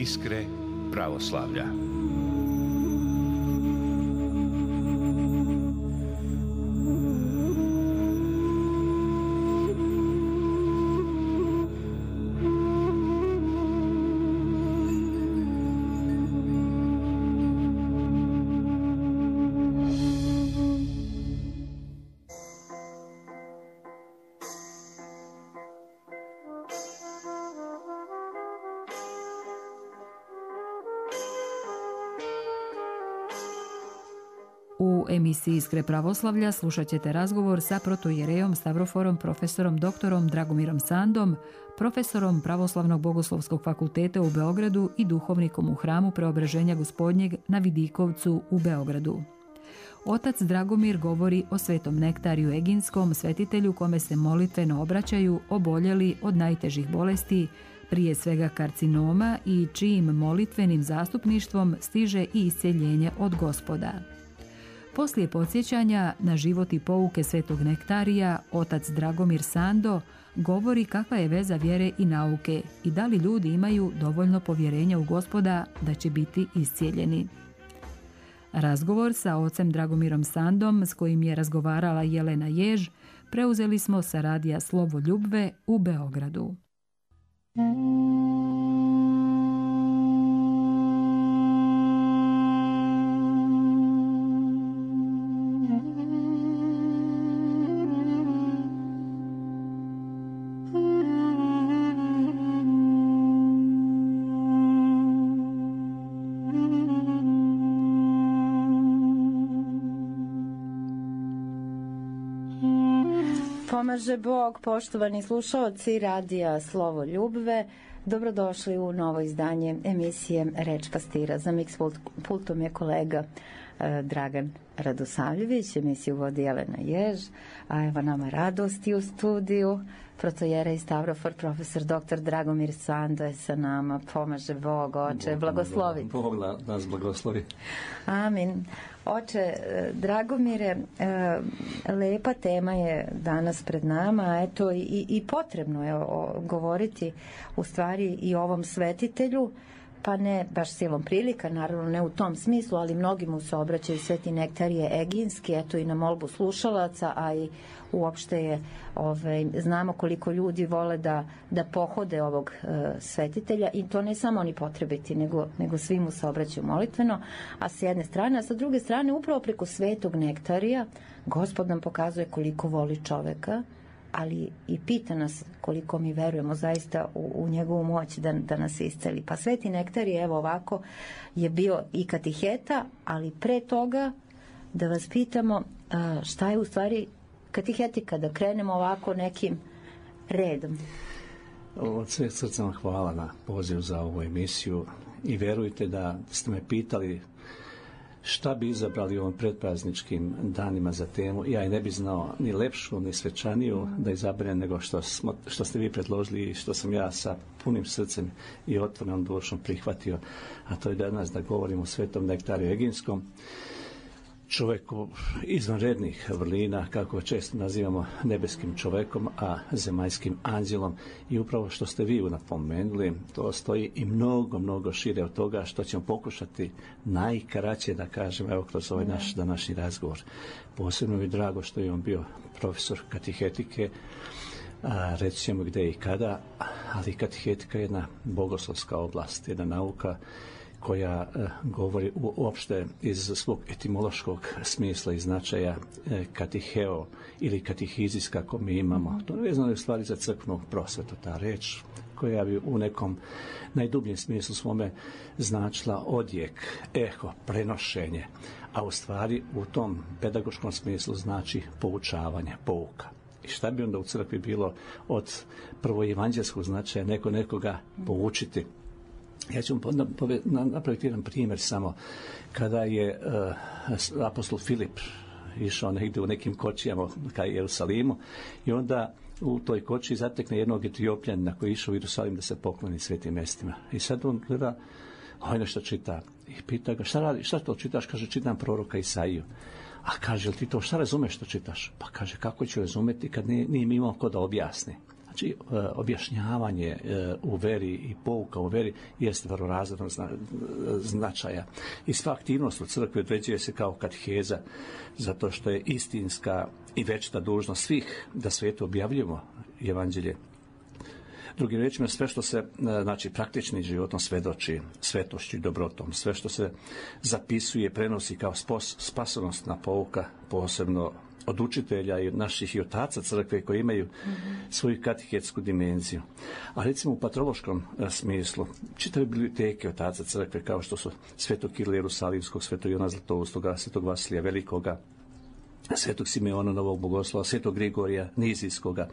Iskre pravoslavlja. U emisiji Iskre pravoslavlja slušat ćete razgovor sa protoijerejom Stavroforom profesorom doktorom Dragomirom Sandom, profesorom Pravoslavnog bogoslovskog fakulteta u Beogradu i duhovnikom u hramu Preobraženja Gospodnjeg na Vidikovcu u Beogradu. Otac Dragomir govori o Svetom Nektariju Eginskom, svetitelju kome se molitveno obraćaju oboljeli od najtežih bolesti, prije svega karcinoma, i čijim molitvenim zastupništvom stiže i isceljenje od Gospoda. Poslije podsjećanja na život i pouke Svetog Nektarija, otac Dragomir Sando govori kakva je veza vjere i nauke i da li ljudi imaju dovoljno povjerenja u Gospoda da će biti iscijeljeni. Razgovor sa ocem Dragomirom Sandom, s kojim je razgovarala Jelena Jež, preuzeli smo sa radija Slovo Ljubve u Beogradu. Pomaže Bog, poštovani slušalci radija Slovo Ljubve, dobrodošli u novo izdanje emisije Reč pastira. Za mix pultom je kolega Dragan Radosavljević, emisiju vodi Jelena Jež, a evo nama radosti u studiju, protoijerej Stavrofor, profesor dr. Dragomir Sando je sa nama. Pomaže Bog, oče, blagoslovi. Bog nas blagoslovi. Amin. Oče Dragomire, lepa tema je danas pred nama, a eto i potrebno je govoriti u stvari i o ovom svetitelju, pa ne baš silom prilika, naravno ne u tom smislu, ali mnogi mu se obraćaju Sveti Nektarije Eginski, eto i na molbu slušalaca, a i uopšte je, znamo koliko ljudi vole da pohode ovog svetitelja, i to ne samo oni potrebiti, nego svi mu se obraćaju molitveno, a s jedne strane, a sa druge strane upravo preko Svetog Nektarija Gospod nam pokazuje koliko voli čoveka, ali i pita nas koliko mi verujemo zaista u njegovu moć da nas isceli. Pa Sveti Nektarije, evo ovako, je bio i katiheta, ali pre toga da vas pitamo šta je u stvari katehetika, da krenemo ovako nekim redom. Od sveg srca vam hvala na poziv za ovu emisiju i verujte da ste me pitali šta bi izabrali u ovim predprazničkim danima za temu. Ja i ne bi znao ni lepšu, ni svečaniju da izaberem nego što ste vi predložili i što sam ja sa punim srcem i otvorenom dušom prihvatio, a to je danas da govorimo o Svetom Nektariju Eginskom, čovjeku izvanrednih vrlina, kako često nazivamo nebeskim čovjekom, a zemaljskim anđelom, i upravo što ste vi napomenuli, to stoji i mnogo šire od toga što ćemo pokušati najkraće da kažem, evo kroz ovaj naš današnji razgovor. Posebno mi je drago što je on bio profesor katehetike, reći ćemo gdje i kada, ali katehetika je jedna bogoslovska oblast, jedna nauka koja govori uopšte iz svog etimološkog smisla i značaja katiheo ili katihizis kako mi imamo. To je vezano u stvari za crkvenu prosvetu, ta reč koja bi u nekom najdubljem smislu svome značila odjek, eho, prenošenje, a u stvari u tom pedagoškom smislu znači poučavanje, pouka. I šta bi onda u crkvi bilo od prvoevanđelskog značaja nekoga poučiti? Ja ću napraviti jedan primjer samo. Kada je apostol Filip išao negdje u nekim kočijama ka Jerusalimu i onda u toj koči zatekne jednog Etiopljanina koji je išao u Jerusalim da se pokloni svetim mjestima. I sad on gleda, nešto čita i pita ga, šta radi, šta to čitaš? Kaže, čitam proroka Isaiju. A kaže, jel ti to šta razumeš što čitaš? Pa kaže, kako ću razumjeti kad nije mi imao ko da objasni? Znači, objašnjavanje u veri i pouka u veri jeste prvorazrednog značaja. I sva aktivnost u crkvi određuje se kao kateheza, zato što je istinska i večita dužnost svih da svetu objavljujemo evanđelje. Drugim riječima, sve što se, znači, praktičnim životom svedoči, svetošću i dobrotom, sve što se zapisuje, prenosi kao spasonosna pouka, posebno od učitelja i naših i otaca crkve koji imaju svoju katehetsku dimenziju. A recimo u patrološkom smislu, čitave biblioteke otaca crkve kao što su Svetog Kirila Jerusalimskog, Svetog Ivana Zlatoustoga, Svetog Vasilija Velikoga, Svetog Simeona Novog Bogoslova, Svetog Grigorija Nizijskoga.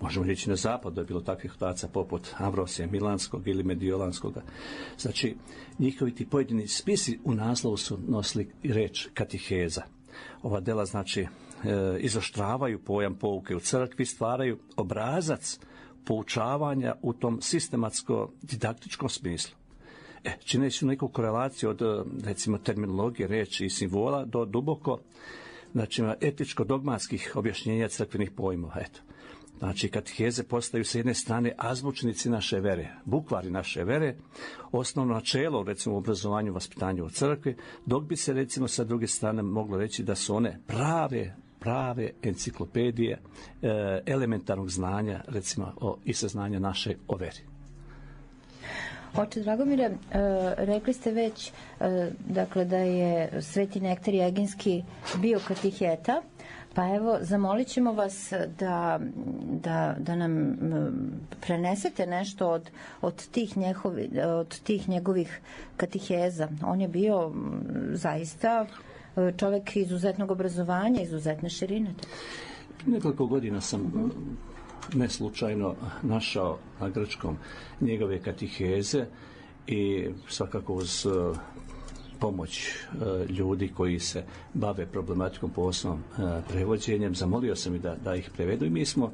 Možemo reći na zapadu je bilo takvih otaca poput Ambrosija Milanskog ili Mediolanskoga. Znači, njihovi ti pojedini spisi u naslovu su nosili reč kateheza. Ova dela, znači, izoštravaju pojam pouke u crkvi, stvaraju obrazac poučavanja u tom sistematsko-didaktičkom smislu. Čineći neku korelaciju od, recimo, terminologije, reči i simbola do duboko, znači, etičko-dogmatskih objašnjenja crkvenih pojmova. Eto. Znači, kateheze postaju s jedne strane azbučnici naše vere, bukvari naše vere, osnovno načelo, recimo, u obrazovanju i vaspitanju u crkvi, dok bi se, recimo, sa druge strane moglo reći da su one prave enciklopedije elementarnog znanja, recimo, i saznanja naše o veri. Oče Dragomire, rekli ste već dakle, da je Sveti Nektarij Eginski bio kateheta, pa evo, zamolit ćemo vas da nam prenesete nešto od tih njegovih kateheza. On je bio zaista čovjek izuzetnog obrazovanja, izuzetne širine. Nekoliko godina sam neslučajno našao na grčkom njegove kateheze i svakako uz pomoć ljudi koji se bave problematikom poslovnom prevođenjem, zamolio sam i da ih prevedu i mi smo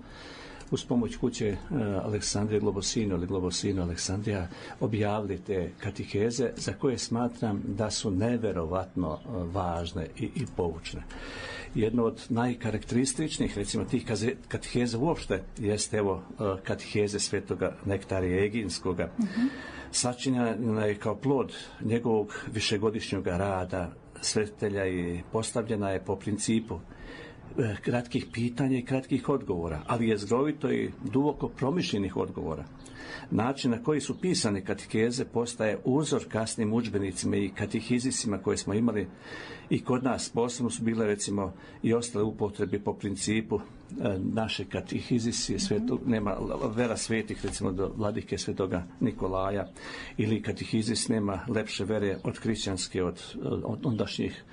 uz pomoć kuće Aleksandrije Globosino ili Globosino Aleksandrija objavili te kateheze za koje smatram da su neverovatno važne i poučne. Jedno od najkarakterističnijih, recimo, tih kateheza uopšte jeste, evo, kateheze Svetoga Nektarija Eginskoga. Sačinjena je kao plod njegovog višegodišnjeg rada svetitelja i postavljena je po principu kratkih pitanja i kratkih odgovora, ali je zgrovito i duboko promišljenih odgovora. Način na koji su pisane kateheze postaje uzor kasnim udžbenicima i katehizisima koje smo imali i kod nas. Posebno su bile, recimo, i ostale upotrebi po principu naše katehizisi, nema vera svetih, recimo, do vladike Svetoga Nikolaja, ili katehizis nema lepše vere od hrišćanske, od ondašnjih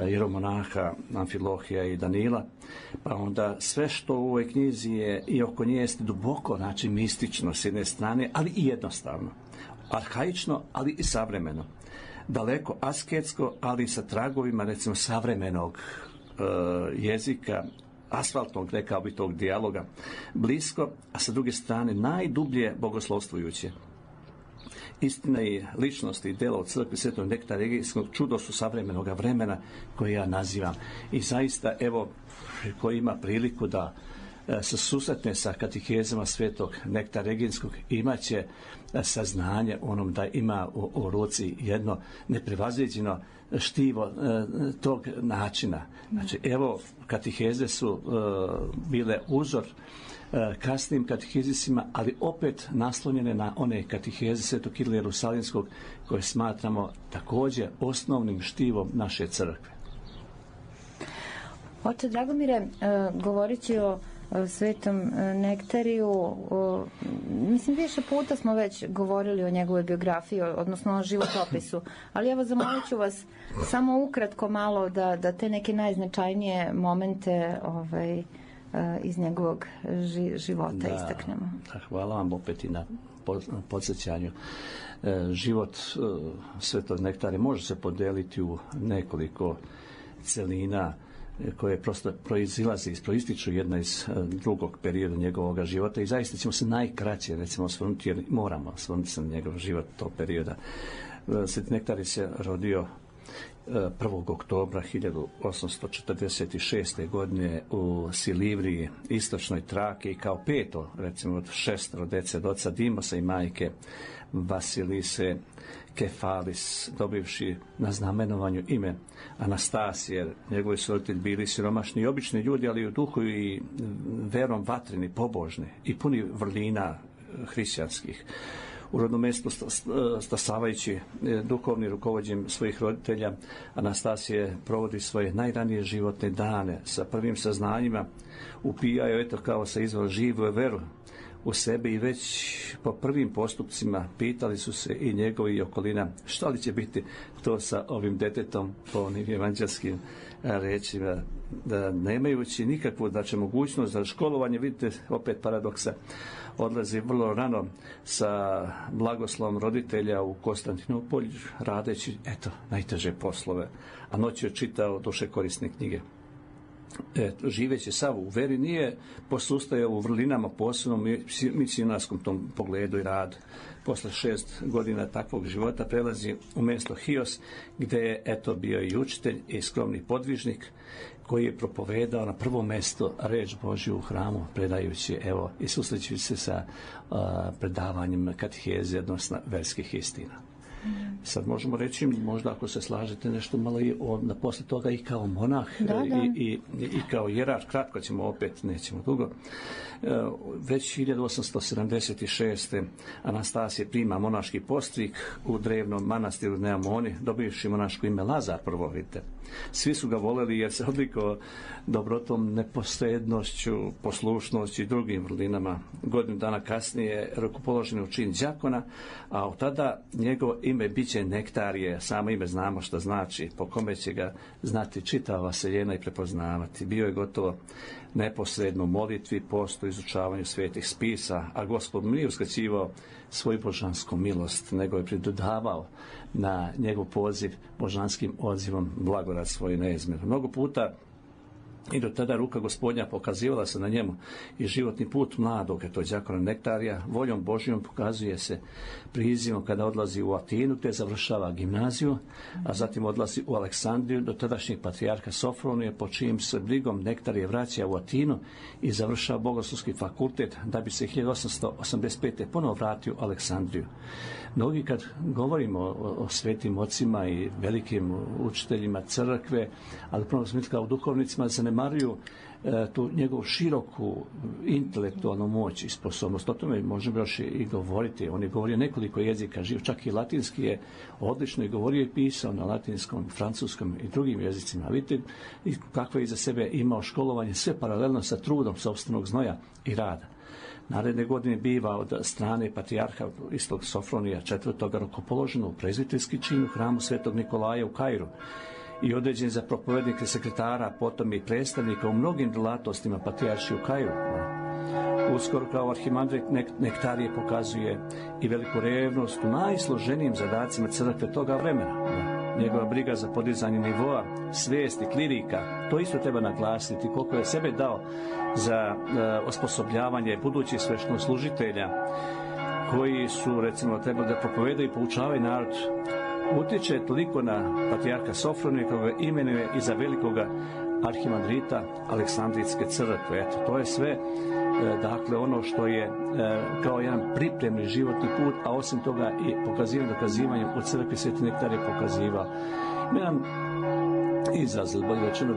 jeromonaha Amfilohija i Danila, pa onda sve što u ovoj knjizi je i oko nje jeste duboko, znači mistično s jedne strane, ali i jednostavno, arhaično, ali i savremeno, daleko asketsko, ali sa tragovima, recimo, savremenog jezika, asfaltnog, rekao bi, tog dijaloga, blisko, a sa druge strane najdublje bogoslovstvujuće. Istina i ličnost i djelo od crkve Svetog Nektarija Eginskog čudo su savremenog vremena koje ja nazivam. I zaista, evo, ko ima priliku da se susretne sa katehezama Svetog Nektarija Eginskog, imat će saznanje onom da ima u ruci jedno neprevaziđeno štivo tog načina. Znači, evo, kateheze su bile uzor kasnim katehizisima, ali opet naslonjene na one kateheze Svetog Kirila Jerusalimskog koje smatramo također osnovnim štivom naše crkve. Oče Dragomire, govoreći o Svetom Nektariju, mislim, više puta smo već govorili o njegovoj biografiji, odnosno o životopisu, ali evo, zamolit ću vas samo ukratko malo da te neke najznačajnije momente iz njegovog života istaknemo. Hvala vam opet i na podsjećanju. Život Svetog Nektarija može se podeliti u nekoliko celina koje prosto proističu jedna iz drugog perioda njegovog života i zaista ćemo se najkraće, recimo, osvrnuti, jer moramo osvrnuti se na njegov život tog perioda. Sveti Nektarij se rodio 1. oktobra 1846. godine u Silivriji, istočnoj Traki, kao peto, recimo od 6 dece od oca Dimosa i majke Vasilise Kefalis, dobivši na znamenovanju ime Anastasije. Njegovi su roditelji bili siromašni i obični ljudi, ali u duhu i verom vatreni, pobožni i puni vrlina hrišćanskih. U rodnom mjestu stasavajući duhovni rukovođenjem svojih roditelja, Anastasije provodi svoje najranije životne dane sa prvim saznanjima, upijaju eto kao sa izvor živu veru u sebe i već po prvim postupcima pitali su se i njegovi i okolina što li će biti to sa ovim detetom, po onim evanđelskim rečima, da nemajući nikakvu mogućnost za školovanje. Vidite opet paradoksa, odlazi vrlo rano sa blagoslovom roditelja u Konstantinopolj, radeći najteže poslove, a noć je čitao duše korisne knjige. Živeći sav u veri, nije posustajao u vrlinama, posebno misionarskom tom pogledu i radu. Posle 6 godina takvog života prelazi u mjesto Hios, gdje je bio i učitelj i skromni podvižnik, koji je propovedao na prvo mjesto reč Božju u hramu, predajući i susrećući se sa predavanjem kateheze, odnosno verskih istina. Sad možemo reći, možda ako se slažete, nešto malo i posle toga i kao monah, I kao jerar, kratko ćemo opet, nećemo dugo. Već 1876. Anastasije prima monaški postrik u drevnom manastiru Neamoni, dobivši monaško ime Lazar prvo, vidite. Svi su ga voleli jer se odlikao dobrotom, neposrednošću, poslušnošću i drugim vrlinama. Godinu dana kasnije rukopoložen u čin đakona, a od tada njegovo ime biće Nektarije, samo ime znamo što znači, po kome će ga znati čitava vaseljena i prepoznavati. Bio je gotovo neposredno u molitvi, postu, izučavanju svetih spisa, a Gospod mu nije uskraćivao svoju božansku milost, nego je pridodavao na njegov poziv božanskim odzivom blagodat svoj neizmjer. Mnogo puta i do tada ruka Gospodnja pokazivala se na njemu i životni put mladog, đakona Nektarija, voljom Božjom pokazuje se prizivom kada odlazi u Atinu, te završava gimnaziju, a zatim odlazi u Aleksandriju do tadašnjeg patrijarha Sofronije, po čijim se brigom Nektarije vraća u Atinu i završava bogoslovski fakultet, da bi se 1885. ponovo vratio u Aleksandriju. Mnogi kad govorimo o svetim ocima i velikim učiteljima crkve, ali prvo smislu kao duhovnicima, zanemaruju tu njegovu široku intelektualnu moć i sposobnost. O tome možemo još i govoriti. On je govorio nekoliko jezika, čak i latinski je odlično i govorio i pisao na latinskom, francuskom i drugim jezicima. Vidite kako je iza sebe imao školovanje, sve paralelno sa trudom sopstvenog znoja i rada. Naredne godine biva od strane patrijarha istog Sofronija IV. Rukopoloženo u prezbiterski čin u hramu Svetog Nikolaja u Kairu i određen za propovednike, sekretara, potom i predstavnika u mnogim delatnostima patrijarši u Kairu. Uskoro kao arhimandrit Nektarije pokazuje i veliku revnost u najsloženijim zadacima crkve toga vremena. Njegova briga za podizanje nivoa, svijesti, klirika, to isto treba naglasiti, koliko je sebe dao za osposobljavanje budućih sveštenoslужitelja koji su, recimo, trebali da propovedaju i poučavaju narod. Utječe toliko na patrijarha Sofronija, koga ga imenuje i za velikoga arhimandrita Aleksandrijske crkve. To je sve, dakle, ono što je kao jedan pripremni životni put, a osim toga i dokazivanjem u crkvi Sveti Nektar je pokazivao. Jedan izraz, bolje rečeno,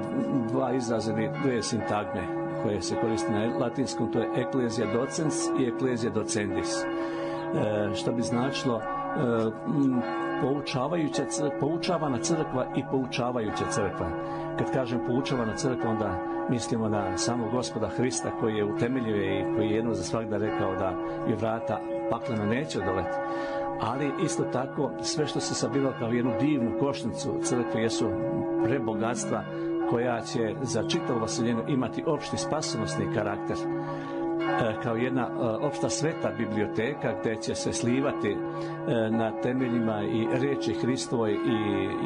dva izraza ili dve sintagme koje se koriste na latinskom, to je ecclesia docens i ecclesia docendis, što bi značilo poučavana crkva i poučavajuća crkva. Kad kažem poučavana crkva, onda mislimo na samog Gospoda Hrista, koji je utemeljio i koji je jedno za svagda rekao da je vrata paklena neće odoleti. Ali isto tako sve što se sabiralo kao jednu divnu košnicu crkve jesu prebogatstva koja će za čitavu vaseljenu imati opšti spasonosni karakter, kao jedna opšta sveta biblioteka gdje će se slivati na temeljima i riječi Hristovoj i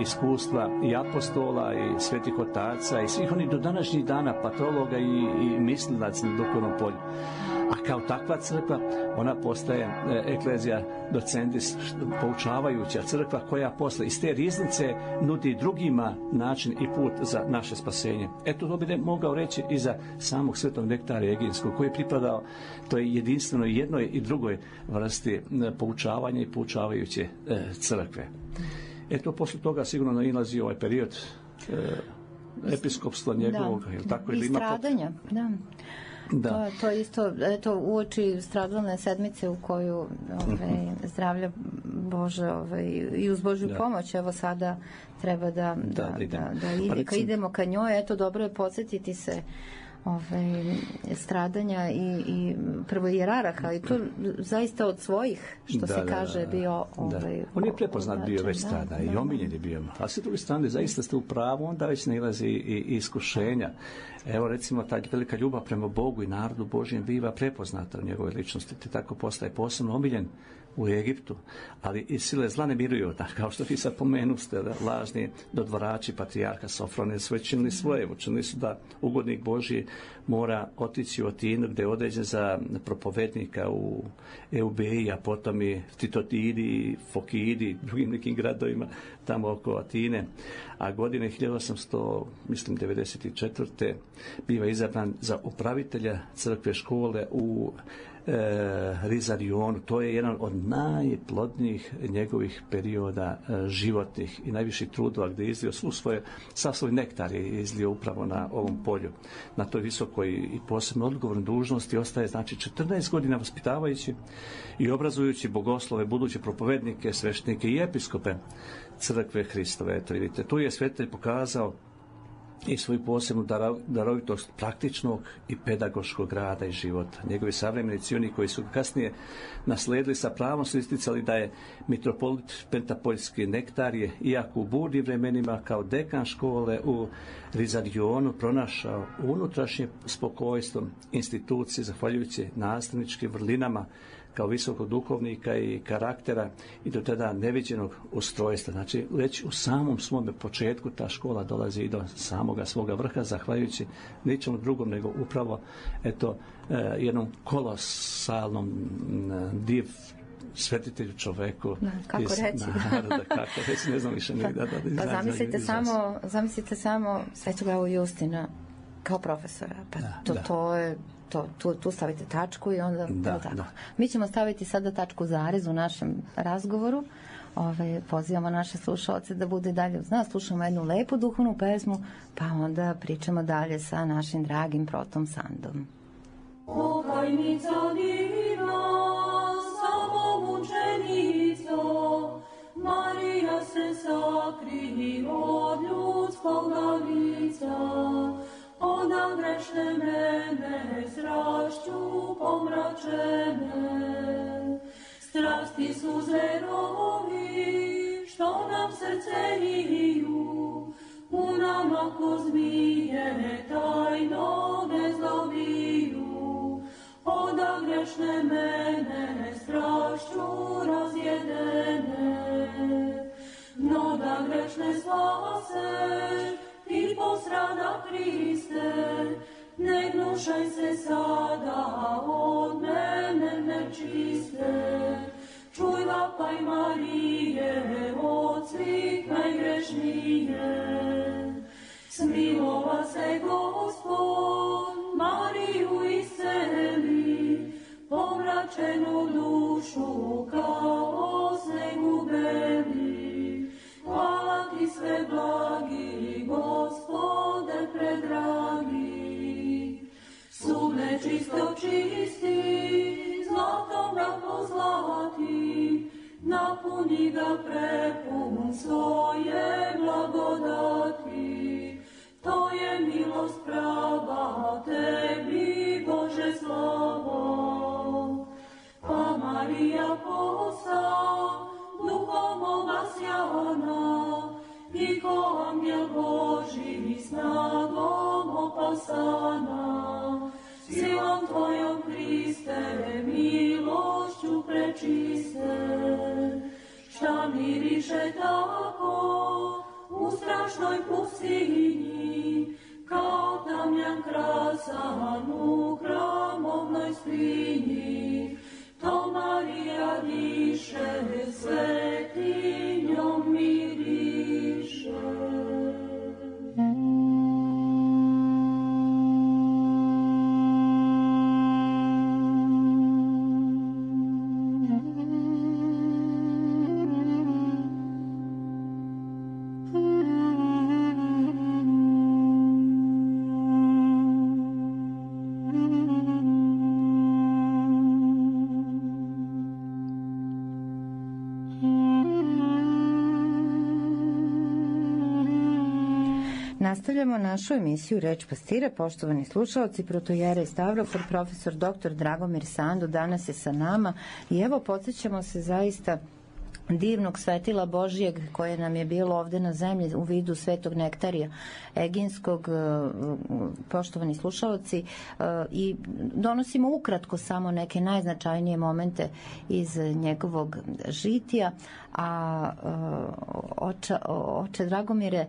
iskustva i apostola i svetih otaca i svih onih do današnjih dana patrologa i mislilaca na duhovnom polju. A kao takva crkva, ona postaje eklezija docendis, poučavajuća crkva koja posle iz te riznice nudi drugima način i put za naše spasenje. Eto, to bi ne mogao reći i za samog svetog Nektarija Eginskog, koji je pripadao toj jedinstvenoj jednoj i drugoj vrsti poučavanja i poučavajuće crkve. Eto, posle toga sigurno nailazi ovaj period episkopstva njegovog, tako i stradanja, da. To isto, eto, uoči stradalne sedmice u koju zdravlja Bože i uz Božju pomoć, evo sada treba da idemo ka njoj. Eto, dobro je podsjetiti se stradanja i prvo jeraraha, i to zaista od svojih, što se kaže, bio on je prepoznat bio već tada i omiljen je bio, a s druge strane zaista ste u pravu, onda već nailazi i iskušenja. Evo, recimo, ta velika ljubav prema Bogu i narodu Božjem biva prepoznata u njegove ličnosti, te tako postaje posebno omiljen u Egiptu, ali i sile zla ne miruju, kao što vi sad pomenuste, lažni dodvorači patrijarha Sofrone su već činili svoje, učinili su da ugodnik Božji mora otići u Atinu, gde je određen za propovednika u Eubeji, a potom i Titotidi, Fokidi, drugim nekim gradovima tamo oko Atine, a godine 1894. biva izabran za upravitelja crkve škole u Rizarionu. To je jedan od najplodnijih njegovih perioda životnih i najviših trudova, gdje je izlio sav svoj nektar je izlio upravo na ovom polju. Na toj visokoj i posebno odgovornoj dužnosti ostaje, znači, 14 godina vaspitavajući i obrazujući bogoslove, buduće propovednike, sveštenike i episkope crkve Hristove. Eto, vidite, tu je svetitelj pokazao i svoju posebnu darovitost praktičnog i pedagoškog rada i života. Njegovi savremenici, oni koji su kasnije nasledili, sa pravom su isticali da je mitropolit Pentapoljski Nektarije, iako u burnim vremenima kao dekan škole u Rizarionu pronašao unutrašnje spokojstvo institucije, zahvaljujući nastavničkim vrlinama kao visokog duhovnika i karaktera i do tada neviđenog ustrojstva. Znači, već u samom svome početku ta škola dolazi i do samoga svoga vrha, zahvaljujući ničemu drugom nego upravo jednom kolosalnom div svetitelju čoveku kako reći, ne znam više zamislite samo Svetog Avu Justina kao profesora, to je tu stavite tačku i onda tako. Mi ćemo staviti sada tačku zarez u našem razgovoru. Pozivamo naše slušalce da bude dalje uz nas, slušamo jednu lepu duhovnu pesmu, pa onda pričamo dalje sa našim dragim protom Sandom. Pokajnica divna, samomučenico, Marija se sakrije od ljudskoga lica, ona grešne mene strašću pomračene. Strasti su zverovi, što nam srce liju, u nama ko zmije tajno ne zlobiju. Oda grešne mene strašću razjedene, no da grešne spaseš, ti posrada Hriste, ne gnušaj se sada od mene nečiste. Čuj vapaj Marije, od svih najgrešnije. Smilova se Gospod, Mariju isceli, pomračenu dušu kao snegu beli. Hvala ti sve blagi, Gospode predragi. Sudne čisto čisti, zlatom ga pozlati, napuni ga prepun svoje blagodati. To je milost prava tebi, Bože slavo. Pa Marija posta duhom obasjana, i ko angel Boži snagom opasana. Silom tvojom Hriste, milošću prečiste. Šta miriše tako u strašnoj pustinji, kao tamjan krasan u hramovnoj skrini. miriše, svetinjom miriše. Nastavljamo našu emisiju Reč pastira. Poštovani slušalci, protojerej Stavrofor, profesor dr. Dragomir Sando danas je sa nama i evo podsjećamo se zaista divnog svetila Božijeg koje nam je bilo ovde na zemlji u vidu svetog nektarija Eginskog, poštovani slušalci, i donosimo ukratko samo neke najznačajnije momente iz njegovog žitija. A oče Dragomire,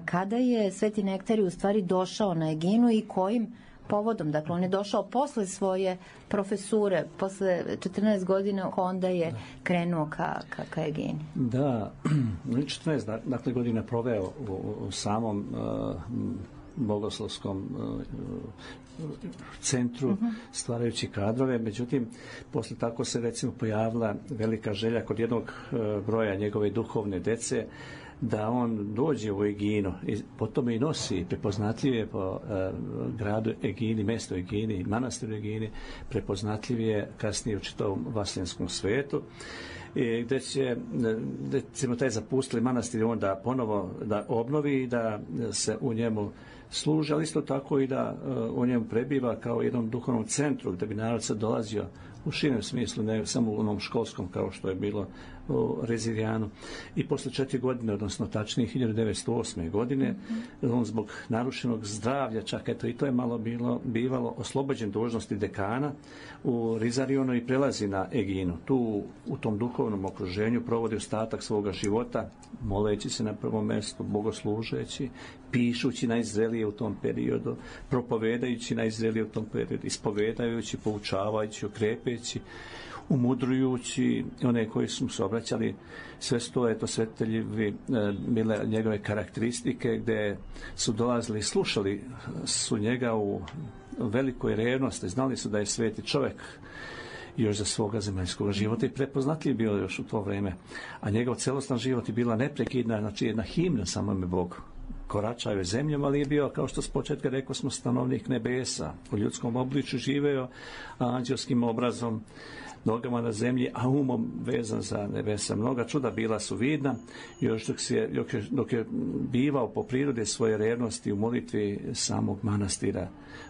kada je sveti nektarij u stvari došao na Eginu i kojim povodom? Dakle, on je došao posle svoje profesure, posle 14 godina, onda je krenuo ka Egini. Da, 14 dakle, godina proveo u samom bogoslovskom centru, stvarajući kadrove. Međutim, posle tako se recimo pojavila velika želja kod jednog broja njegove duhovne dece da on dođe u Eginu i potom i nosi, prepoznatljiv je po gradu Egini, mesto Egini, manastiru Egini, prepoznatljiv je kasnije u čitavom vaseljenskom svetu, gde ćemo taj zapustili manastir onda ponovo da obnovi i da se u njemu služi, ali isto tako i da u njemu prebiva kao jednom duhovnom centru gde bi narod sad dolazio u širem smislu, ne samo u onom školskom kao što je bilo u Rezirijanu. I posle 4 godine, odnosno tačnije 1908. godine, on zbog narušenog zdravlja, čak eto i to je malo bivalo, oslobođen dužnosti dekana u Rizarijonu i prelazi na Eginu. Tu u tom duhovnom okruženju provodi ostatak svoga života, moleći se na prvom mjestu, bogoslužeći, pišući najzrelije u tom periodu, propovedajući najzrelije u tom periodu, ispovedajući, poučavajući, okrepeći, umudrujući one koji su mu se obraćali. Sve sto je to svetiteljivi bile njegove karakteristike, gde su dolazili i slušali su njega u velikoj revnosti, znali su da je sveti čovjek još za svoga zemaljskog života i prepoznatljiv bio još u to vrijeme. A njegov celostan život je bila neprekidna, znači jedna himna samome Bogu. Koračao je zemljom, ali je bio, kao što s početka rekao smo, stanovnik nebesa. U ljudskom obličju živeo, a anđelskim obrazom, nogama na zemlji, a umom vezan za nebesa. Mnoga čuda bila su vidna, još dok je bivao po prirode svoje revnosti u molitvi samog manastira.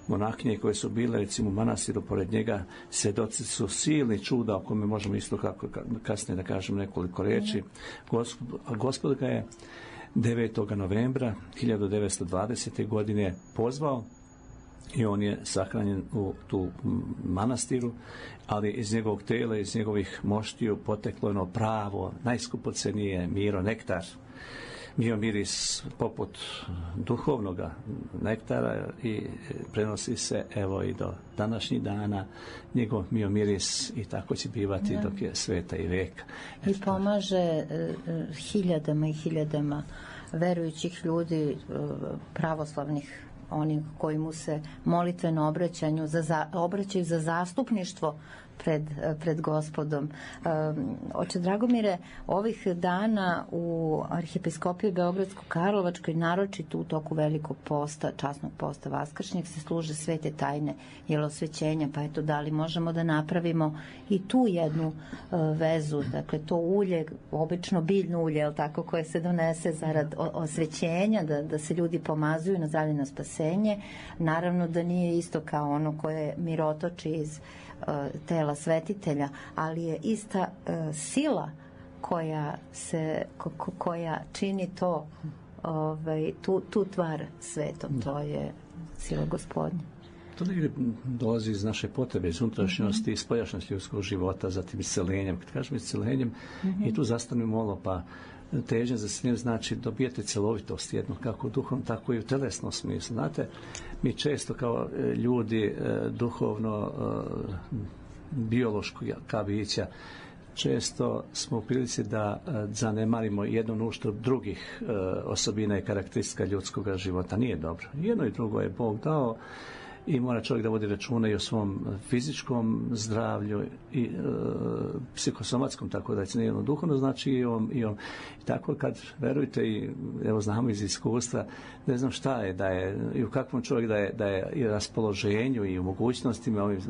Monahinje koje su bile recimo u manastiru pored njega, svjedoci su silni čuda o kome možemo isto kako kasnije da kažem nekoliko riječi. Gospod ga je 9. novembra 1920. godine pozvao i on je sahranjen u tu manastiru, ali iz njegovog tela, iz njegovih moštiju poteklo ono pravo, najskupocenije miro, nektar. Mio miris poput duhovnog nektara i prenosi se evo i do današnjih dana njegov mio miris i tako će bivati dok je sveta i veka. I pomaže hiljadama i hiljadama verujućih ljudi, pravoslavnih, oni koji mu se molitveno obraćaju za zastupništvo pred Gospodom. Oče Dragomire, ovih dana u Arhijepiskopiji Beogradsko-Karlovačkoj, naročito u toku velikog posta, časnog posta vaskršnjeg, se služe svete tajne jelosvećenja, pa eto, da li možemo da napravimo i tu jednu vezu, dakle to ulje, obično biljno ulje, je li tako, koje se donese zarad osvećenja, da se ljudi pomazuju na zdravlje, na spasenje. Naravno da nije isto kao ono koje mirotoči iz tela svetitelja, ali je ista sila koja čini to, tu tvar svetom. To je sila Gospodnja. To negdje dolazi iz naše potrebe, iz unutrašnjosti, iz spoljašnjosti ljudskog života, zatim iscelenjem. Kad kažem iscelenjem, i tu zastanemo malo, pa težnja za isceljenjem znači dobijete celovitost jednu, kako u duhovnom, tako i u telesnom smislu. Znate, mi često kao ljudi duhovno, biološko bića često smo u prilici da zanemarimo jednu na uštrb drugih osobina i karakteristika ljudskog života. Nije dobro. Jedno i drugo je Bog dao i mora čovjek da vodi računa i o svom fizičkom zdravlju i psihosomatskom, tako da je duhovno, znači i tako kad verujte, i evo znamo iz iskustva, ne znam šta je, da je i u kakvom čovjek da je i raspoloženju i u mogućnostima ovim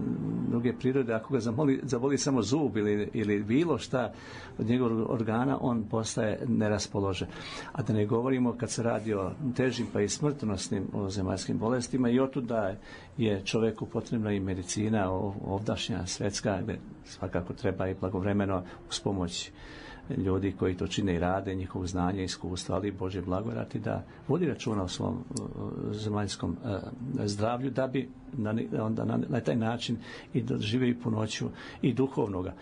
druge prirode, ako ga zaboli samo zub ili bilo šta od njegovog organa, on postaje neraspoložen. A da ne govorimo kad se radi o težim pa i smrtonosnim zemaljskim bolestima, i otuda je čovjeku potrebna i medicina ovdašnja, svetska, gdje svakako treba i blagovremeno uz pomoć ljudi koji to čine i rade, njihovog znanja i iskustva, ali Božje blagodati da vodi računa o svom zemaljskom zdravlju, da bi onda na taj način i dožive i punoću i duhovnoga.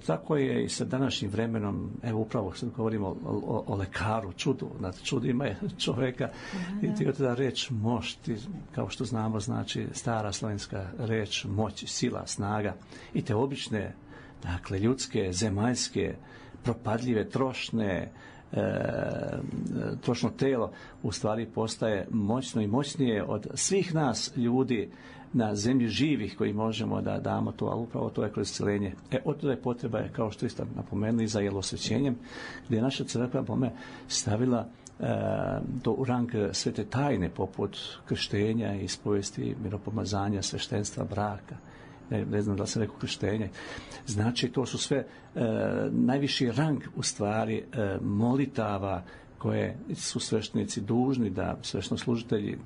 Tako je i sa današnjim vremenom, evo upravo sad govorimo o lekaru, čudu, nad čudima je čovjeka, i ti da reč moć, kao što znamo, znači stara slovenska reč moć, sila, snaga, i te obične, dakle ljudske, zemaljske, propadljive, trošno telo u stvari postaje moćno i moćnije od svih nas ljudi na zemlji živih koji možemo da damo to, ali upravo to je kroz isceljenje. Otuda je potreba, kao što ste napomenuli, za jelosvećenjem, gdje je naša crkva bome stavila to u rang svete tajne, poput krštenja, ispovesti, miropomazanja, sveštenstva, braka. Ne znam da se rekao krštenje. Znači, to su sve najviši rang u stvari molitava koje su sveštenici dužni da, sveštoslužitelji,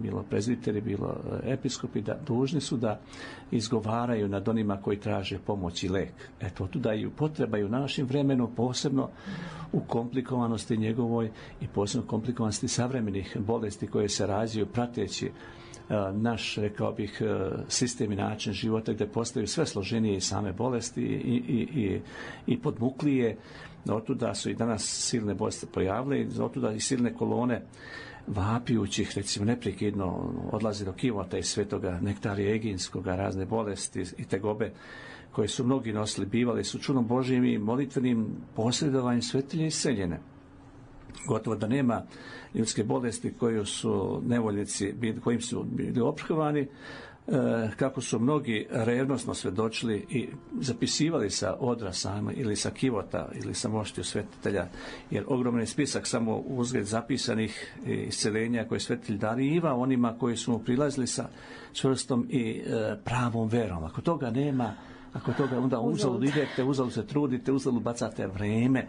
bilo prezbiteri, bilo episkopi, da dužni su da izgovaraju nad onima koji traže pomoć i lek. Eto, tuda i potreba i u našem vremenu, posebno u komplikovanosti njegovoj i posebno komplikovanosti savremenih bolesti koje se razvijaju prateći naš, rekao bih, sistem i način života, gdje postaju sve složenije i same bolesti i podmuklije. Otuda su i danas silne bolesti pojavile, i otuda i silne kolone vapijućih, recimo neprekidno odlazi do kivota iz svetoga nektarija eginskoga, razne bolesti i tegobe koje su mnogi nosili, bivali su čudom Božijim i molitvenim posredovanjem svetilje iseljene. Gotovo da nema ljudske bolesti koju su nevoljnici, kojim su bili ophrvani, kako su mnogi revnosno svedočili i zapisivali sa odra sama ili sa kivota ili sa moštiju svetitelja, jer ogroman spisak samo uzgled zapisanih isceljenja koje svetitelj dariva onima koji su mu prilazili sa čvrstom i pravom verom. Ako toga nema, onda uzalud idete, uzalud se trudite, uzalud bacate vreme.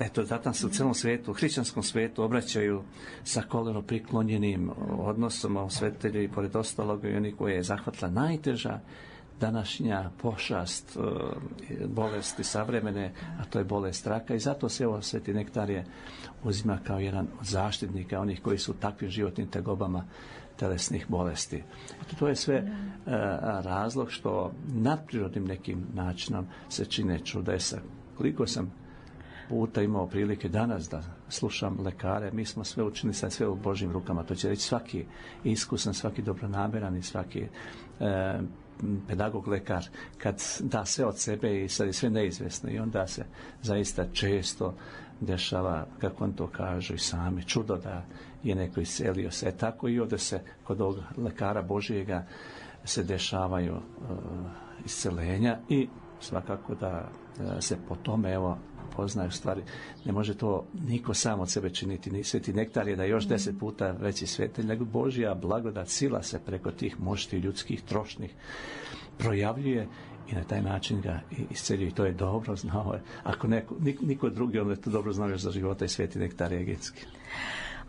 Eto, zato se u celom svijetu, hrišćanskom svijetu, obraćaju sa koleno priklonjenim odnosom svetitelju, i pored ostalog i oni koje je zahvatila najteža današnja pošast bolesti savremene, a to je bolest raka, i zato se evo sveti Nektarije uzima kao jedan od zaštitnika onih koji su u takvim životnim tegobama telesnih bolesti. Eto, to je sve razlog što nadprirodnim nekim načinom se čine čudesa. Koliko sam puta imao prilike danas da slušam lekare, mi smo sve učinili, sad sve u Božjim rukama, to će reći svaki iskusan, svaki dobronameran i svaki pedagog, lekar, kad da sve od sebe i sad je sve neizvjesno, i onda se zaista često dešava, kako on to kaže i sami, čudo da je neko iscelio se. Tako i ovdje se kod ovog lekara Božijega se dešavaju iscelenja, i svakako da se po tome evo poznaju stvari. Ne može to niko sam od sebe činiti. Ni sveti Nektar je da još 10 puta veći svetelj, nego Božja blagodat, sila se preko tih mošti ljudskih trošnih projavljuje i na taj način ga isceljuje. I to je dobro znao. Ako niko drugi, onda je to dobro znao još za života i sveti Nektar eginski.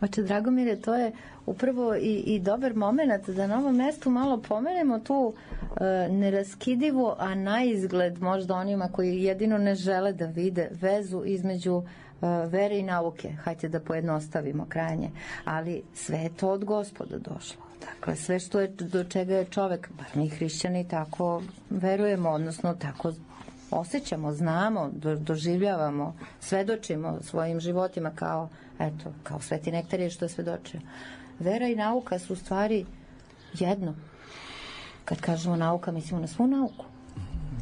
Oče Dragomire, to je upravo i dobar moment da na ovom mjestu malo pomenemo tu neraskidivu, a na izgled možda onima koji jedino ne žele da vide vezu između vere i nauke. Hajde da pojednostavimo krajnje. Ali sve je to od Gospoda došlo. Dakle, sve što je, do čega je čovek, bar mi hrišćani tako verujemo, odnosno tako osjećamo, znamo, doživljavamo, svedočimo svojim životima kao sveti Nektarije što je svedočio. Vera i nauka su u stvari jedno. Kad kažemo nauka, mislimo na svu nauku.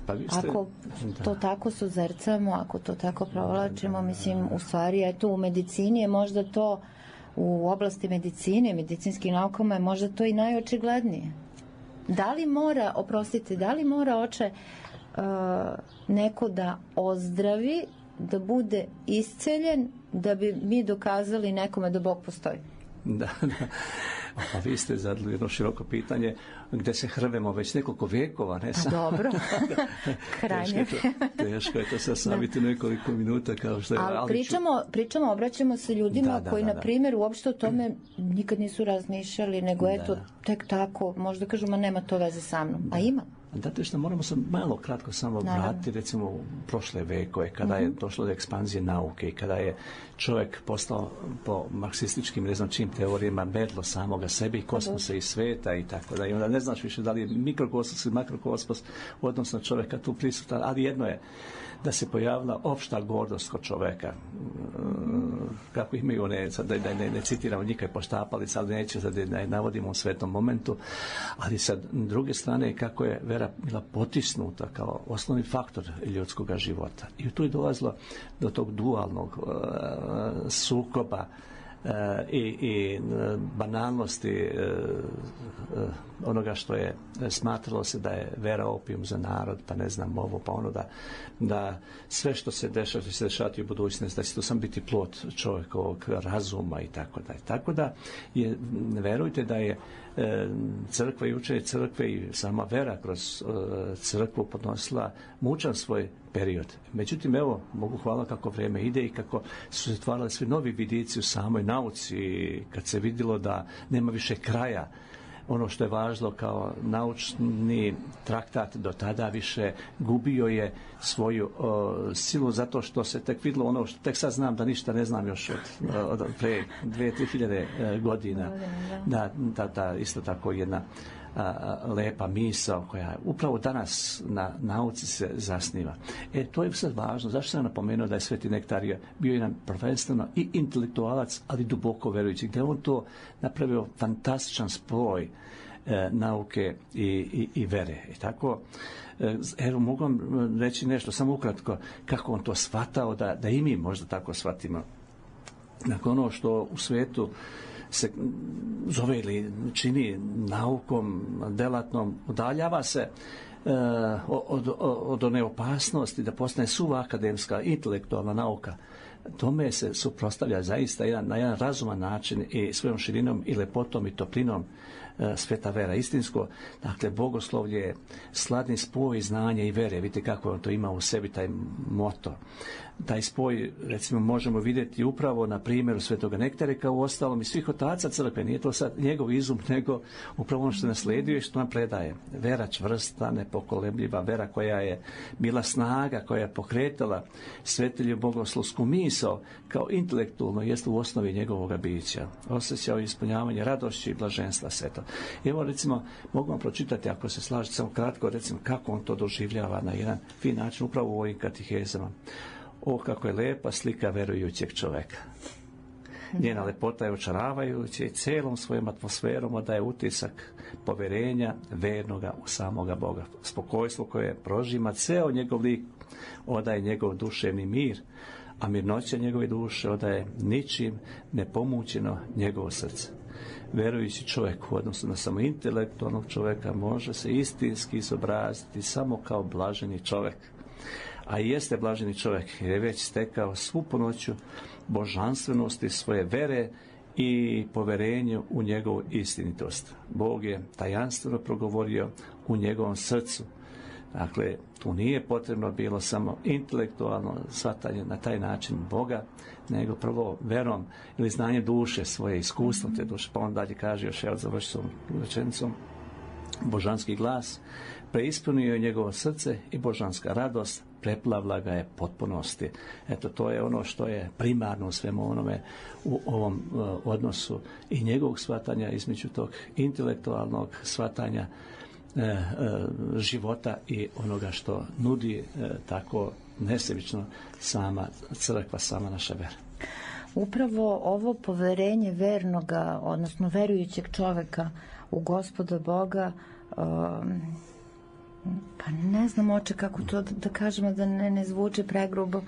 Pa vi ste, ako to tako suzercamo, ako to tako provlačimo, mislim, u stvari, eto, u medicini je možda to, u oblasti medicine, medicinskim naukama je možda to i najočiglednije. Da li mora, oče, neko da ozdravi, da bude isceljen, da bi mi dokazali nekome da Bog postoji? Da. A vi ste zadali jedno široko pitanje gdje se hrvemo već nekoliko vekova, ne samo. Dobro, krajnje. Teško je to sad saviti nekoliko minuta kao što je. Ali pričamo, obraćamo se ljudima koji, na primjer, uopšte o tome nikad nisu razmišljali, nego eto, tek tako, možda kažu, ma nema to veze sa mnom, a ima. Zato što moramo se malo kratko samo vratiti recimo u prošle vekove kada je došlo do ekspanzije nauke i kada je čovjek postao po marksističkim ne znam čim teorijama medlo samoga sebe i kosmosa i sveta i tako da i onda ne znaš više da li je mikrokosmos ili makrokosmos odnosno čovjeka tu prisutan, ali jedno je da se pojavila opšta gordost kod čovjeka, kako imaju one, da ne citiramo nikaj poštapalica, ali neću da je navodimo u svetom momentu, ali sa druge strane kako je vera bila potisnuta kao osnovni faktor ljudskog života. I tu je dolazilo do tog dualnog sukoba i banalnosti onoga što je smatralo se da je vera opijum za narod, pa ne znam ovo, pa ono da sve što se dešava, što se dešavati u budućnosti, da će to sam biti plod čovjekovog razuma i tako da. Tako da verujte da je crkva i učenje crkve i sama vera kroz crkvu podnosila mučan svoj period. Međutim, evo, mogu hvala kako vrijeme ide i kako su se stvarali svi novi vidici u samoj nauci, kad se vidjelo da nema više kraja. Ono što je važno kao naučni traktat do tada više gubio je svoju silu zato što se tek vidjelo ono što tek sad znam da ništa ne znam još od pre 2-3 godina. Da, isto tako jedna lepa misao koja upravo danas na nauci se zasniva. To je sad važno. Zašto sam napomenuo da je Sveti Nektarije bio jedan prvenstveno i intelektualac, ali duboko verujući, gdje on to napravio fantastičan spoj nauke i vere. I tako, evo mogu vam reći nešto, samo ukratko, kako on to shvatao, da i mi možda tako shvatimo. Nakon ono što u svijetu se zove ili čini naukom delatnom, udaljava se od one opasnosti da postane suva akademska intelektualna nauka. Tome se suprotstavlja zaista na jedan razuman način i svojom širinom i lepotom i toplinom sveta vera istinsko. Dakle, bogoslovlje je sladni spoj znanja i vere. Vidite kako on to ima u sebi, taj moto. Taj spoj, recimo, možemo vidjeti upravo na primjeru Svetoga Nektare, kao u ostalom i svih otaca crkve. Nije to sad njegov izum, nego upravo ono što nasledio i što nam predaje. Vera čvrsta, nepokolebljiva, vera koja je bila snaga, koja je pokretala svetelju bogoslovsku misao, kao intelektualno jest u osnovi njegovoga bića. Osjećao ispunjavanje radošći i blaženstva sveta. Evo, recimo, mogu vam pročitati, ako se slažete, samo kratko, recimo, kako on to doživljava na jedan fin način, upravo u ovim katehezama. O, kako je lepa slika verujućeg čovjeka. Njena lepota je očaravajuća i cijelom svojom atmosferom odaje utisak povjerenja vernoga u samoga Boga. Spokojstvo koje prožima ceo njegov lik odaje njegov duševni mir, a mirnoća njegove duše odaje ničim nepomućeno njegovo srce. Verujući čovjek u odnosu na samo intelektualnog čovjeka može se istinski izobraziti samo kao blaženi čovjek. A i jeste blaženi čovjek jer je već stekao svu punoću božanstvenosti svoje vere i poverenju u njegovu istinitost. Bog je tajanstveno progovorio u njegovom srcu. Dakle, tu nije potrebno bilo samo intelektualno shvatanje na taj način Boga, nego prvo verom ili znanjem duše, svoje iskustvo te duše. Pa on dalje kaže, još ja završim rečenicom, božanski glas preispunio je njegovo srce i božanska radost preplavila ga je potpunosti. Eto, to je ono što je primarno u svemu onome u ovom odnosu i njegovog shvatanja između tog intelektualnog shvatanja života i onoga što nudi tako nesebično sama crkva, sama naša vera. Upravo ovo poverenje vernoga, odnosno verujućeg čovjeka u Gospoda Boga Pa ne znam, oče, kako to da kažemo da ne zvuči pregrubo.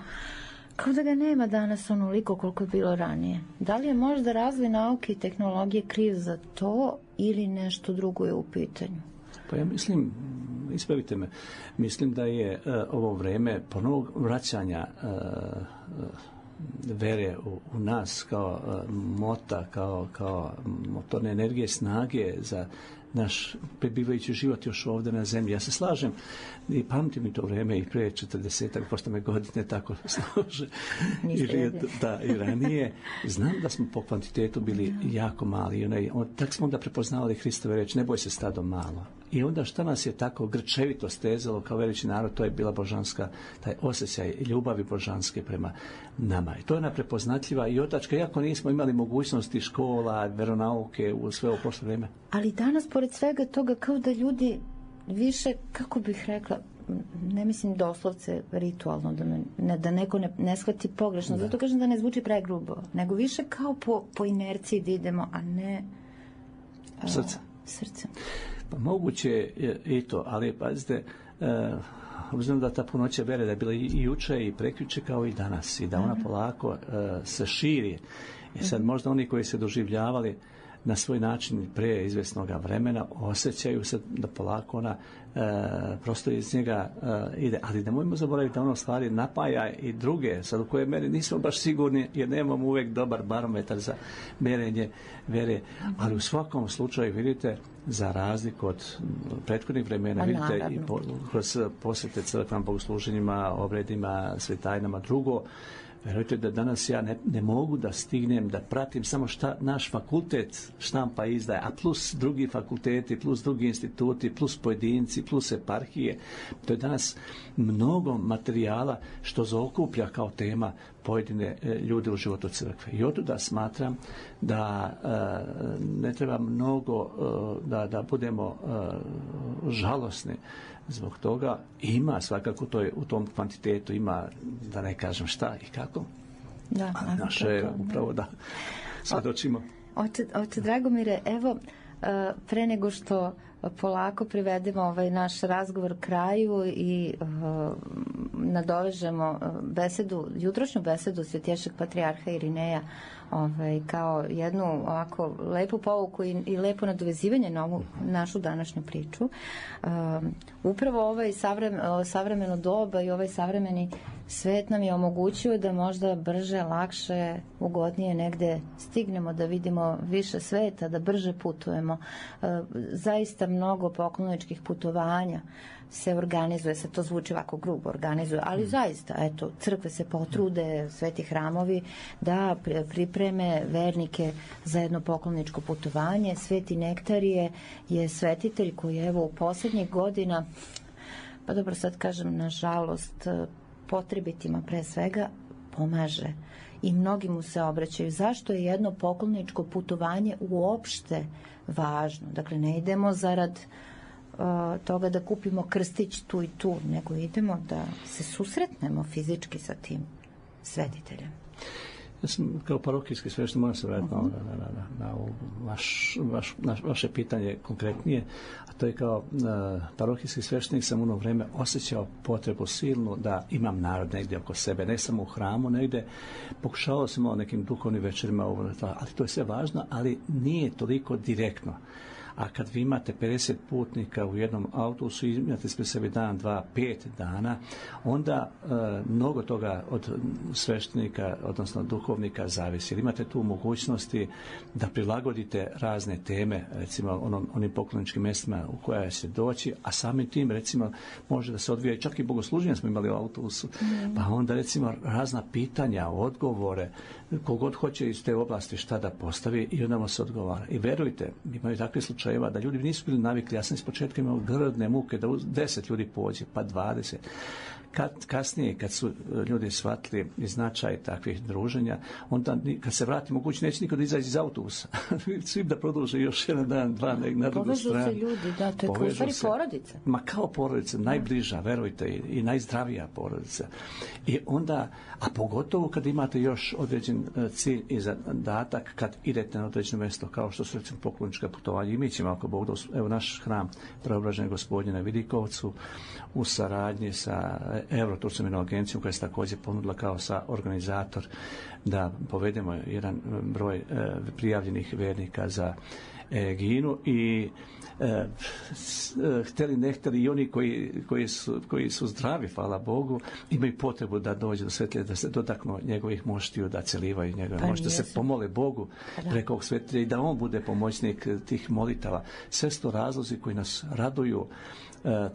Kao da ga nema danas onoliko koliko je bilo ranije. Da li je možda razvoj nauke i tehnologije kriv za to ili nešto drugo je u pitanju? Pa ja mislim, ispravite me, mislim da je ovo vreme ponovnog vraćanja vere u nas kao mota, kao motorne energije, snage za naš prebivajući život još ovdje na zemlji. Ja se slažem i pamtim i to vrijeme i prije 40-ak, pošto me godine tako slože i ranije. Znam da smo po kvantitetu bili jako mali. Tak smo onda prepoznavali Hristove reči, ne boj se stado malo. I onda šta nas je tako grčevito stezalo kao veliki narod, to je bila božanska, taj osjećaj ljubavi božanske prema nama. I to je ona prepoznatljiva i otačka, iako nismo imali mogućnosti škola, veronauke u sve ovo prošlo vrijeme. Ali danas, pored svega toga, kao da ljudi više, kako bih rekla, ne mislim doslovce ritualno, da neko ne shvati pogrešno, zato kažem da ne zvuči pregrubo, nego više kao po inerciji da idemo, a ne srcem. Pa moguće je i to, ali pazite, obzirom da ta punoća vere da je bila i juče i prekjuče kao i danas i da ona polako se širi. I sad možda oni koji se doživljavali na svoj način prije izvjesnog vremena osjećaju se da polako ona prosto iz njega ide. Ali nemojmo zaboraviti da ono stvari napaja i druge, sad u koje meri nismo baš sigurni jer nemamo uvijek dobar barometar za mjerenje vere. Ali u svakom slučaju vidite, za razliku od prethodnih vremena, vidite i kroz posjete crkvenim bogosluženjima, obredima, svetajnama, drugo, verujte da danas ja ne mogu da stignem da pratim samo šta naš fakultet štampa izdaje, a plus drugi fakulteti, plus drugi instituti, plus pojedinci, plus eparhije. To je danas mnogo materijala što zaokuplja kao tema pojedine ljude u životu crkve. I otuda smatram da ne treba mnogo da budemo žalosni zbog toga. Ima svakako to je, u tom kvantitetu ima, da ne kažem šta i kako. Da, a naše je upravo da svjedočimo. Oče Dragomire, evo, pre nego što polako privedemo ovaj naš razgovor kraju i nadovežemo jutrošnju besedu Svetješeg patrijarha Irineja kao jednu ovako lepu pouku i lepo nadovezivanje na ovu našu današnju priču. Upravo ovaj savremeno doba i ovaj savremeni svet nam je omogućio da možda brže, lakše, ugodnije negde stignemo, da vidimo više sveta, da brže putujemo. Zaista mnogo pokloničkih putovanja se organizuje, se to zvuči ovako grubo organizuje, ali zaista, eto, crkve se potrude, sveti hramovi da pripreme vernike za jedno pokloničko putovanje. Sveti Nektarije je svetitelj koji evo u posljednjih godina, pa dobro sad kažem nažalost, potrebitima pre svega pomaže i mnogi mu se obraćaju. Zašto je jedno pokloničko putovanje uopšte važno? Dakle, ne idemo zarad toga da kupimo krstić tu i tu, nego idemo da se susretnemo fizički sa tim svetiteljem. Ja sam kao parohijski sveštenik, moram se vratiti na vaše pitanje konkretnije, a to je kao parohijski sveštenik sam u ono vrijeme osjećao potrebu silnu da imam narod negdje oko sebe, ne samo u hramu, negdje pokušavao sam o nekim duhovnim večerima, ali to je sve važno, ali nije toliko direktno. A kad vi imate 50 putnika u jednom autobusu i imate sve sebi dan, 2, 5 dana, onda mnogo toga od sveštenika, odnosno duhovnika zavisi. Jer imate tu mogućnosti da prilagodite razne teme, recimo onim pokloničkim mjestima u koja će doći, a samim tim, recimo, može da se odvija, čak i bogosluženje smo imali u autobusu, pa onda, recimo, razna pitanja, odgovore, kogod hoće iz te oblasti šta da postavi i onda mu se odgovara. I verujte, imaju takve slučajeva da ljudi nisu bili navikli. Ja sam iz početka imao grdne muke da 10 ljudi pođe, pa 20. Kasnije, kad su ljudi shvatili značaj takvih druženja, onda kad se vrati moguće neće niko da izađe iz autobusa. Svi da produže još jedan dan, dva na drugu stranu. Povežu se ljudi, da, to je kao u stvari porodica. Ma kao porodica, najbliža, verujte, i najzdravija porodica. I onda, a pogotovo kad imate još određen cilj i zadatak kad idete na određeno mjesto, kao što su recimo poklonička putovanja, ćemo ako Bog da, evo naš hram Preobraženja Gospodnje na Vidikovcu u saradnji sa Euroturskom agencijom koja se također ponudila kao sa organizator da povedemo jedan broj prijavljenih vernika za Eginu i htjeli ne htjeli i oni koji su zdravi, hvala Bogu, imaju potrebu da dođu do svetlje, da se dotaknu njegovih moštiju, da celivaju njegove moštije, da se pomole Bogu preko ovog svetlja i da on bude pomoćnik tih molitava. Sve su to razlozi koji nas raduju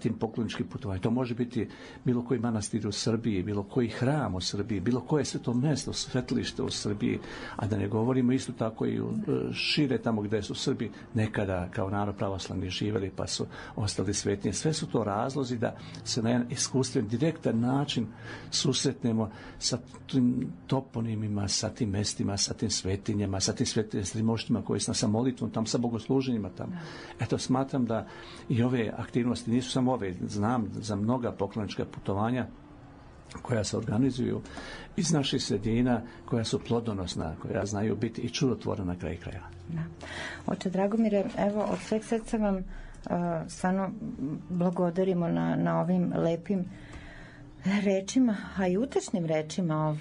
tim pokloničkim putovanjem. To može biti bilo koji manastir u Srbiji, bilo koji hram u Srbiji, bilo koje sveto mjesto, svetilište u Srbiji, a da ne govorimo isto tako i šire tamo gdje su Srbi nekada kao narod pravoslavni živjeli pa su ostali svetnije. Sve su to razlozi da se na jedan iskustven, direktan način susretnemo sa tim toponimima, sa tim mestima, sa tim svetinjama, sa tim moštima koji su sa molitvom tamo, sa bogosluženjima tamo. Eto, smatram da i ove aktivnosti nisu samo ove, znam za mnoga poklonička putovanja koja se organizuju iz naših sredina, koja su plodonosna, koja znaju biti i čudotvorna na kraju krajeva. Da. Oče Dragomire, evo od sveg srca vam stvarno blagodarimo na ovim lepim rečima, a i utešnim rečima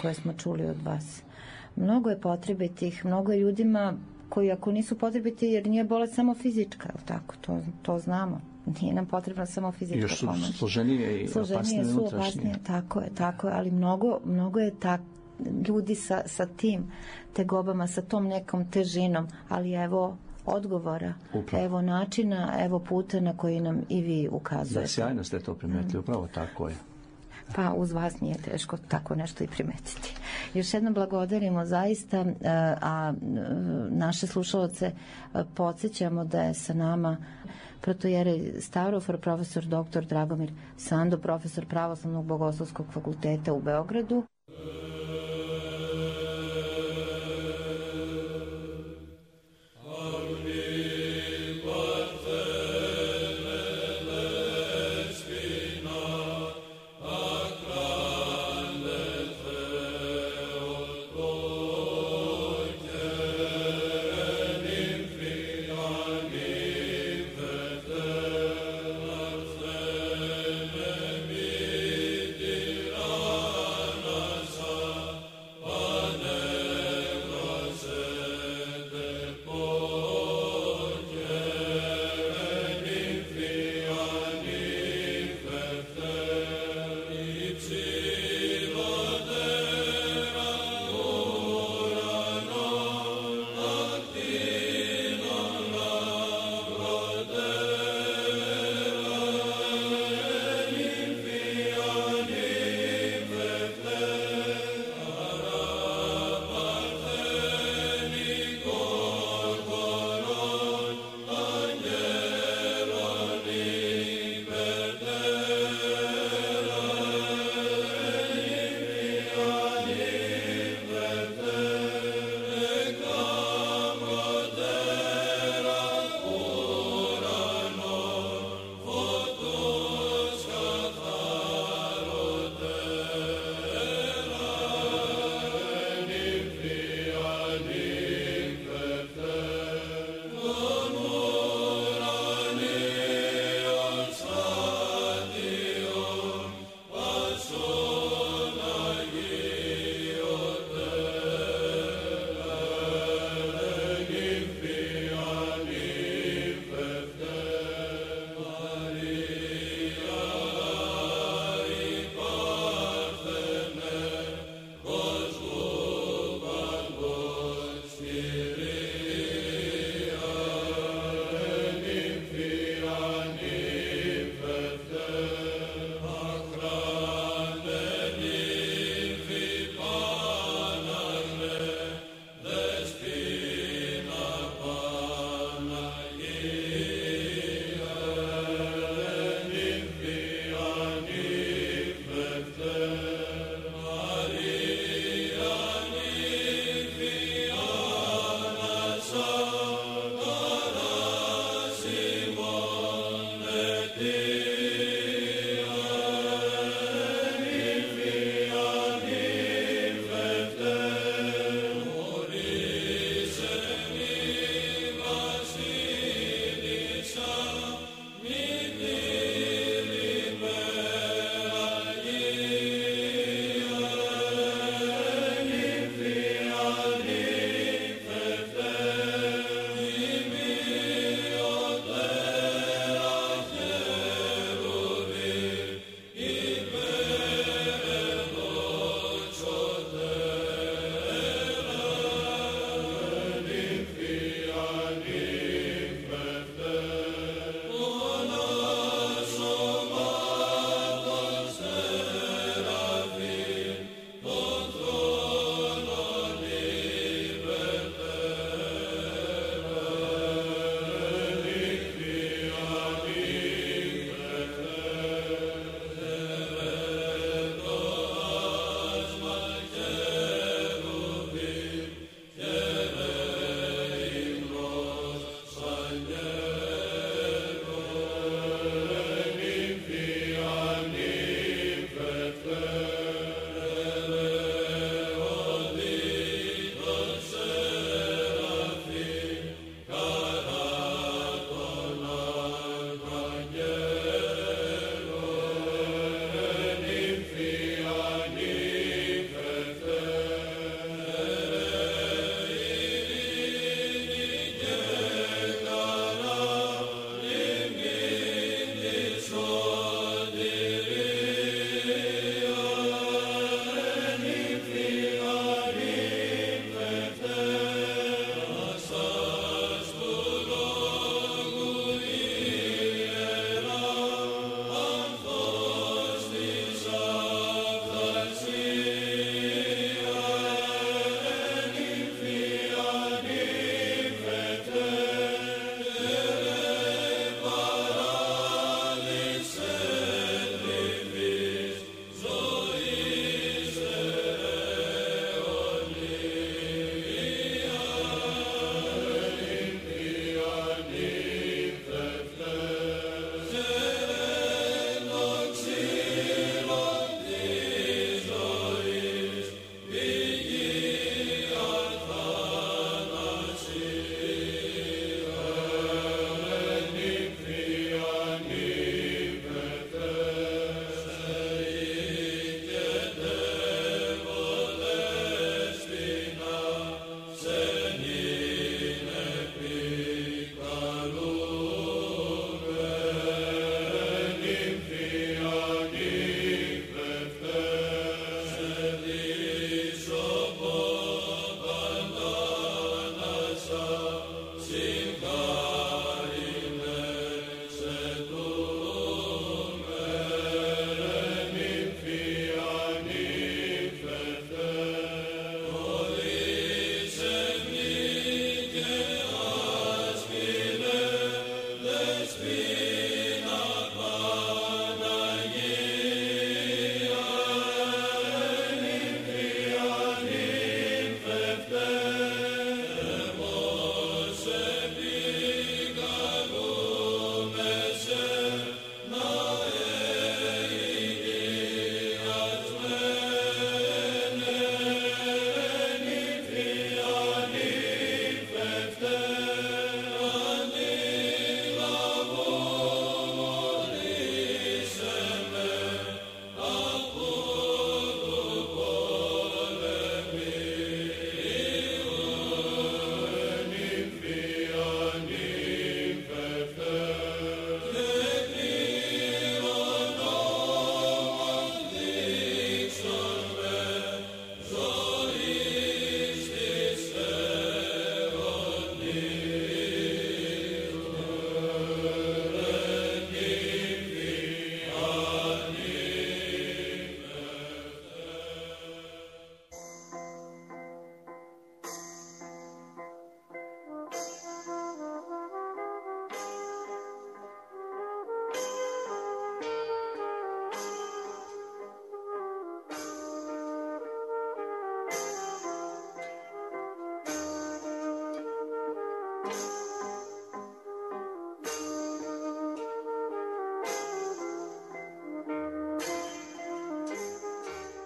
koje smo čuli od vas. Mnogo je potrebitih, mnogo je ljudima koji ako nisu potrebiti, jer nije bolest samo fizička, tako, to znamo. Nije nam potrebna samo fizička pomoć. Još složenije i opasnije. Tako je, ali mnogo je ljudi sa tim tegobama, sa tom nekom težinom, ali evo odgovora, upravo. Evo načina, evo puta na koji nam i vi ukazujete. Da, sjajno ste to primetili, upravo tako je. Pa uz vas nije teško tako nešto i primetiti. Još jednom blagodarimo zaista, a naše slušalce podsjećamo da je sa nama protojerej Stavrofor, profesor dr. Dragomir Sando, profesor Pravoslavnog bogoslovskog fakulteta u Beogradu. Amen.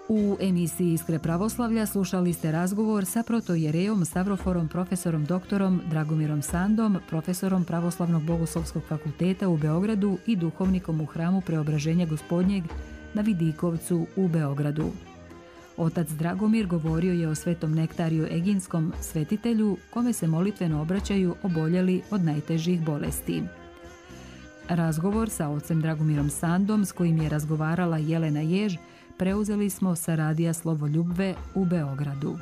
U emisiji Iskre pravoslavlja slušali ste razgovor sa protojerejom Stavroforom profesorom doktorom Dragumirom Sandom, profesorom Pravoslavnog bogoslovskog fakulteta u Beogradu i duhovnikom u hramu Preobraženja Gospodnjeg na Vidikovcu u Beogradu. Otac Dragomir govorio je o svetom Nektariju Eginskom, svetitelju kome se molitveno obraćaju oboljeli od najtežih bolesti. Razgovor sa ocem Dragumirom Sandom, s kojim je razgovarala Jelena Jež, preuzeli smo sa Radija Slovo Ljubve u Beogradu.